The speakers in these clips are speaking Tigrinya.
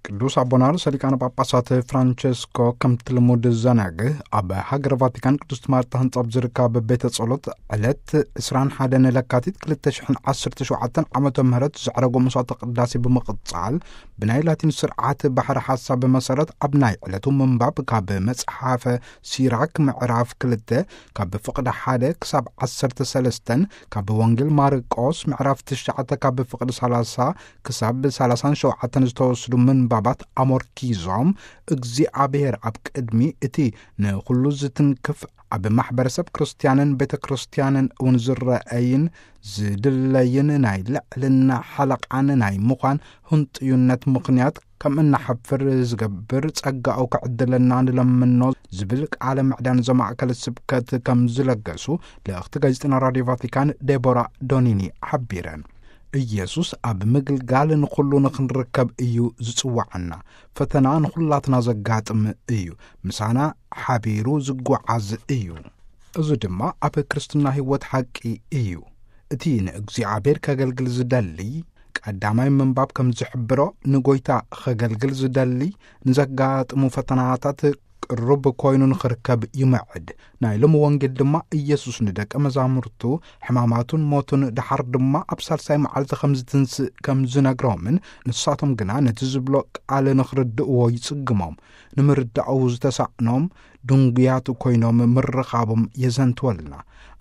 ቅዱስ ኣቦና ርእሰ ሊቃነ ጳጳሳት ፍራንቸስኮ ከምቲ ልሙድ ዘነግህ፣ ኣብ ሃገረ ቫቲካን ቅድስት ማርታ ህንጻ ኣብ ዝርከብ ቤተ ጸሎት ዕለት ዕስራን ሓደን ለካቲት ክልተ ሽሕን ዓሰርተ ሸውዓተን ዓመተ ምህረት ዘዕረጎ መስዋዕተ ቅዳሴ ብምቕጻል፣ ብናይ ላቲን ስርዓት ባሕሪ ሓሳብ መሰረት ኣብ ናይ ዕለቱ ምንባብ ካብ መጽሓፈ ሲራክ ምዕራፍ ክልተ ካብ ፍቕዲ ሓደ ክሳብ ዓሰርተ ሰለስተን፣ ካብ ወንጌል ማርቆስ ምዕራፍ ትሽዓተ ካብ ፍቕዲ ሰላሳ ክሳብ ሰላሳን ሸውዓተን ዝተወስዱ ምንባባት ኣሞርኪዞም፣ እግዚኣብሔር ኣብ ቅድሚ እቲ ንኹሉ ዝትንክፍ፣ ኣብ ማሕበረሰብ ክርስትያንን ቤተ ክርስትያንን እውን ዝረአይን ዝድለይን ናይ ልዕልና ሓለቓን ናይ ምዃን ህንጥዩነት ምኽንያት ከም እናሓፍር ዝገብር ጸጋኡ ክዕድለና ንለምኖ ዝብል ቃለ ምዕዳን ዘማእከለ ስብከት ከም ዝለገሱ ልእኽቲ ጋዜጠና ራድዮ ቫቲካን ዴቦራ ዶኒኒ ሓቢረን። ኢየሱስ ኣብ ምግልጋል ንኹሉ ንኽንርከብ እዩ ዝጽውዓና። ፈተና ንኹላትና ዘጋጥም እዩ። ምሳና ሓቢሩ ዝጓዓዝ እዩ። እዚ ድማ ኣብ ክርስትና ህይወት ሓቂ እዩ። እቲ ንእግዚኣብሔር ከገልግል ዝደሊ፣ ቀዳማይ ምንባብ ከም ዝሕብሮ፣ ንጎይታ ኸገልግል ዝደሊ ንዘጋጥሙ ፈተናታት ቅሩብ ኮይኑ ንኽርከብ ይምዕድ። ናይ ሎሚ ወንጌል ድማ ኢየሱስ ንደቀ መዛሙርቱ ሕማማቱን ሞቱን ደሓር ድማ ኣብ ሳልሳይ መዓልቲ ከም ዝትንስእ ከም ዝነግሮምን፣ ንሳቶም ግና ነቲ ዝብሎ ቃል ንኽርድእዎ ይጽግሞም። ንምርዳኡ ዝተሳእኖም ድንጉያት ኮይኖም ምርኻቦም የዘንትወልና።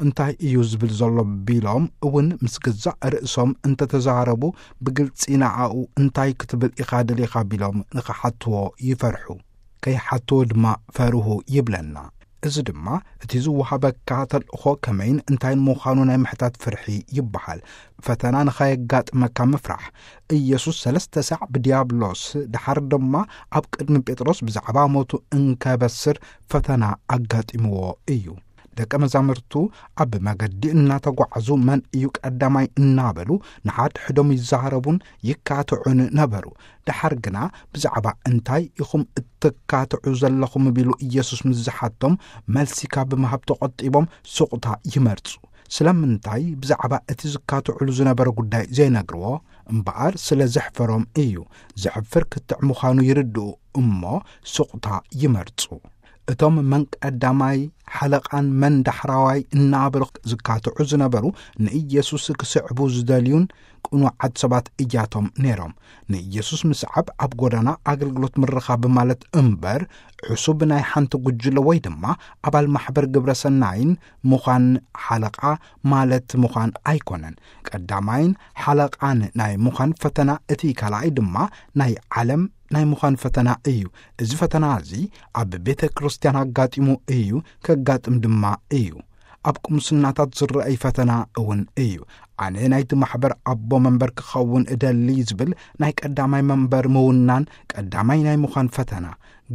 እንታይ እዩ ዝብል ዘሎ ቢሎም እውን ምስ ገዛእ ርእሶም እንተተዛረቡ፣ ብግልጺ ንኣኡ እንታይ ክትብል ኢኻ ደሊኻ ቢሎም ንኽሓትዎ ይፈርሑ። ከይሓትዎ ድማ ፈርሁ ይብለና። እዚ ድማ እቲ ዝወሃበካ ተልእኾ ከመይን እንታይን ምዃኑ ናይ ምሕታት ፍርሒ ይበሃል። ፈተና ንኸየጋጥመካ ምፍራሕ። ኢየሱስ ሰለስተ ሳዕ ብዲያብሎስ፣ ደሓር ድማ ኣብ ቅድሚ ጴጥሮስ ብዛዕባ ሞቱ እንከበስር ፈተና ኣጋጢምዎ እዩ። ደቀ መዛሙርቱ ኣብ መገዲ እናተጓዕዙ መን እዩ ቀዳማይ እናበሉ ንሓድሕዶም ይዛረቡን ይካትዑን ነበሩ። ደሓር ግና ብዛዕባ እንታይ ኢኹም እትካትዑ ዘለኹም ቢሉ ኢየሱስ ምስ ዝሓቶም፣ መልሲ ካብ ምሃብ ተቖጢቦም ሱቕታ ይመርጹ። ስለምንታይ ብዛዕባ እቲ ዝካትዑሉ ዝነበረ ጉዳይ ዘይነግርዎ? እምበኣር ስለ ዘሕፈሮም እዩ። ዘሕፍር ክትዕ ምዃኑ ይርድኡ እሞ ሱቕታ ይመርጹ። እቶም መን ቀዳማይ ሓለቓን መን ዳሕራዋይ እናበሉ ዝካትዑ ዝነበሩ ንኢየሱስ ክስዕቡ ዝደልዩን ቅኑዓት ሰባት እያቶም ነይሮም። ንኢየሱስ ምስዓብ ኣብ ጎዳና ኣገልግሎት ምርኻብ ማለት እምበር፣ ዕሱብ ናይ ሓንቲ ጉጅለ ወይ ድማ ኣባል ማሕበር ግብረ ሰናይን ምዃን ሓለቓ ማለት ምዃን ኣይኮነን። ቀዳማይን ሓለቓን ናይ ምዃን ፈተና፣ እቲ ካልኣይ ድማ ናይ ዓለም ናይ ምዃን ፈተና እዩ። እዚ ፈተና እዚ ኣብ ቤተ ክርስቲያን ኣጋጢሙ እዩ፣ ከጋጥም ድማ እዩ። ኣብ ቁምስናታት ዝረኣይ ፈተና እውን እዩ። ኣነ ናይቲ ማሕበር ኣቦ መንበር ክኸውን እደሊ ዝብል ናይ ቀዳማይ መንበር ምውናን ቀዳማይ ናይ ምዃን ፈተና።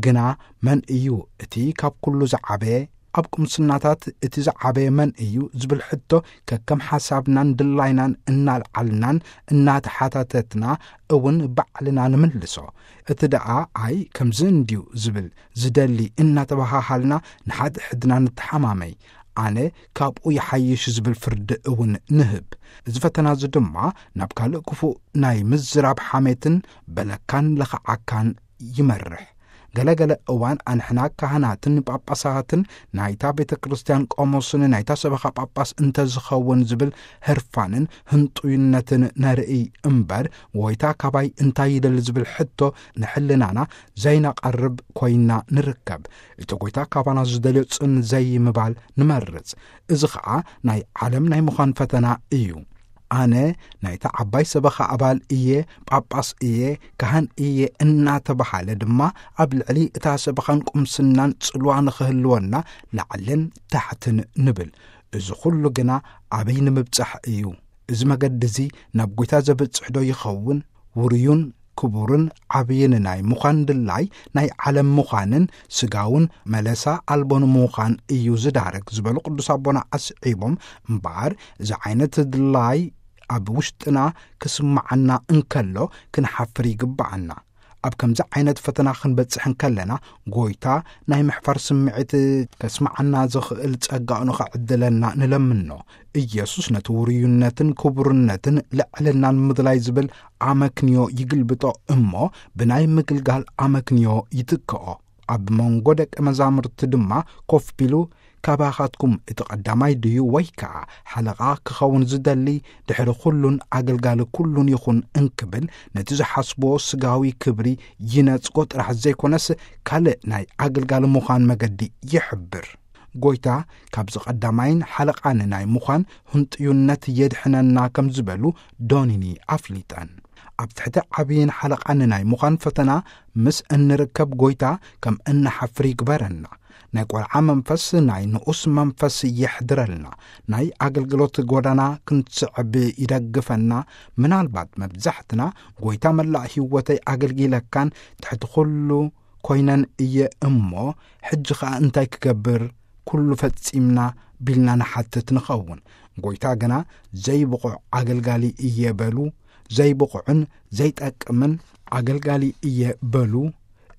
ግና መን እዩ እቲ ካብ ኩሉ ዝዓበየ? ኣብ ቁምስናታት እቲ ዝዓበየ መን እዩ ዝብል ሕቶ ከከም ሓሳብናን ድላይናን እናልዓልናን እናተሓታተትና እውን ባዕልና ንምልሶ። እቲ ደኣ ኣይ ከምዚ እንድዩ ዝብል ዝደሊ እናተበሃሃልና ንሓድሕድና ንተሓማመይ። ኣነ ካብኡ ይሓይሽ ዝብል ፍርዲ እውን ንህብ። እዚ ፈተና እዚ ድማ ናብ ካልእ ክፉእ ናይ ምዝራብ ሓሜትን በለካን ለኽዓካን ይመርሕ። ገለገለ እዋን ኣንሕና ካህናትን ጳጳሳትን ናይታ ቤተ ክርስቲያን ቆሞስን ናይታ ሰበኻ ጳጳስ እንተዝኸውን ዝብል ህርፋንን ህንጡይነትን ነርኢ እምበር፣ ጎይታ ካባይ እንታይ ይደሊ ዝብል ሕቶ ንሕልናና ዘይነቐርብ ኮይና ንርከብ። እቲ ጎይታ ካባና ዝደልዮ ጽን ዘይምባል ንመርጽ። እዚ ኸኣ ናይ ዓለም ናይ ምዃን ፈተና እዩ። ኣነ ናይታ ዓባይ ሰበኻ ኣባል እየ፣ ጳጳስ እየ፣ ካህን እየ እናተባሃለ ድማ ኣብ ልዕሊ እታ ሰበኻን ቁምስናን ጽልዋ ንኽህልወና ላዕልን ታሕትን ንብል። እዚ ኹሉ ግና ኣበይ ንምብጻሕ እዩ? እዚ መገዲ እዚ ናብ ጐይታ ዘብጽሕ ዶ ይኸውን? ውሩዩን ክቡርን ዓብይን ናይ ምዃን ድላይ ናይ ዓለም ምዃንን ስጋውን መለሳ ኣልቦን ምዃን እዩ ዝዳርግ ዝበሉ ቅዱስ ኣቦና ኣስዒቦም፣ እምበኣር እዚ ዓይነት ድላይ ኣብ ውሽጥና ክስምዓና እንከሎ ክንሓፍር ይግብኣና። ኣብ ከምዚ ዓይነት ፈተና ክንበጽሕ እንከለና፣ ጎይታ ናይ ምሕፋር ስምዒት ከስምዓና ዝኽእል ጸጋኡ ንኸዕድለና ንለምኖ። ኢየሱስ ነቲ ውርዩነትን ክቡርነትን ልዕልናን ምድላይ ዝብል ኣመክንዮ ይግልብጦ እሞ፣ ብናይ ምግልጋል ኣመክንዮ ይትክኦ። ኣብ መንጎ ደቂ መዛሙርቲ ድማ ኮፍ ቢሉ፣ ካባኻትኩም እቲ ቀዳማይ ድዩ? ወይ ከኣ ሓለቓ ክኸውን ዝደሊ ድሕሪ ኩሉን ኣገልጋሊ ኩሉን ይኹን እንክብል፣ ነቲ ዝሓስብዎ ስጋዊ ክብሪ ይነጽጎ ጥራሕ ዘይኮነስ፣ ካልእ ናይ ኣገልጋሊ ምዃን መገዲ ይሕብር። ጎይታ ካብዚ ቀዳማይን ሓለቓን ናይ ምዃን ህንጥዩነት የድሕነና ከም ዝበሉ ዶኒኒ ኣፍሊጠን። ኣብ ትሕቲ ዓብይን ሓለቓን ናይ ምዃን ፈተና ምስ እንርከብ፣ ጎይታ ከም እንሓፍር ይግበረና። ናይ ቆልዓ መንፈስ፣ ናይ ንኡስ መንፈስ የሕድረልና። ናይ ኣገልግሎት ጎዳና ክንስዕብ ይደግፈና። ምናልባት መብዛሕትና፣ "ጎይታ፣ መላእ ህይወተይ ኣገልጊለካን ትሕቲ ኩሉ ኮይነን እየ እሞ፣ ሕጂ ኸኣ እንታይ ክገብር? ኩሉ ፈጺምና?" ቢልና ንሓትት ንኸውን። ጎይታ ግና፣ "ዘይብቑዕ ኣገልጋሊ እየ" በሉ። ዘይብቑዕን ዘይጠቅምን ኣገልጋሊ እየ በሉ።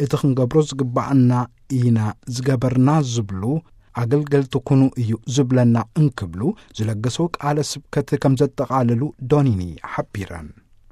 እቲ ክንገብሮ ዝግባኣና ኢና ዝገበርና ዝብሉ፣ ኣገልገልቲ ኩኑ እዩ ዝብለና እንክብሉ ዝለገሰው ቃለ ስብከት ከም ዘጠቓልሉ ዶኒኒ ሓቢረን።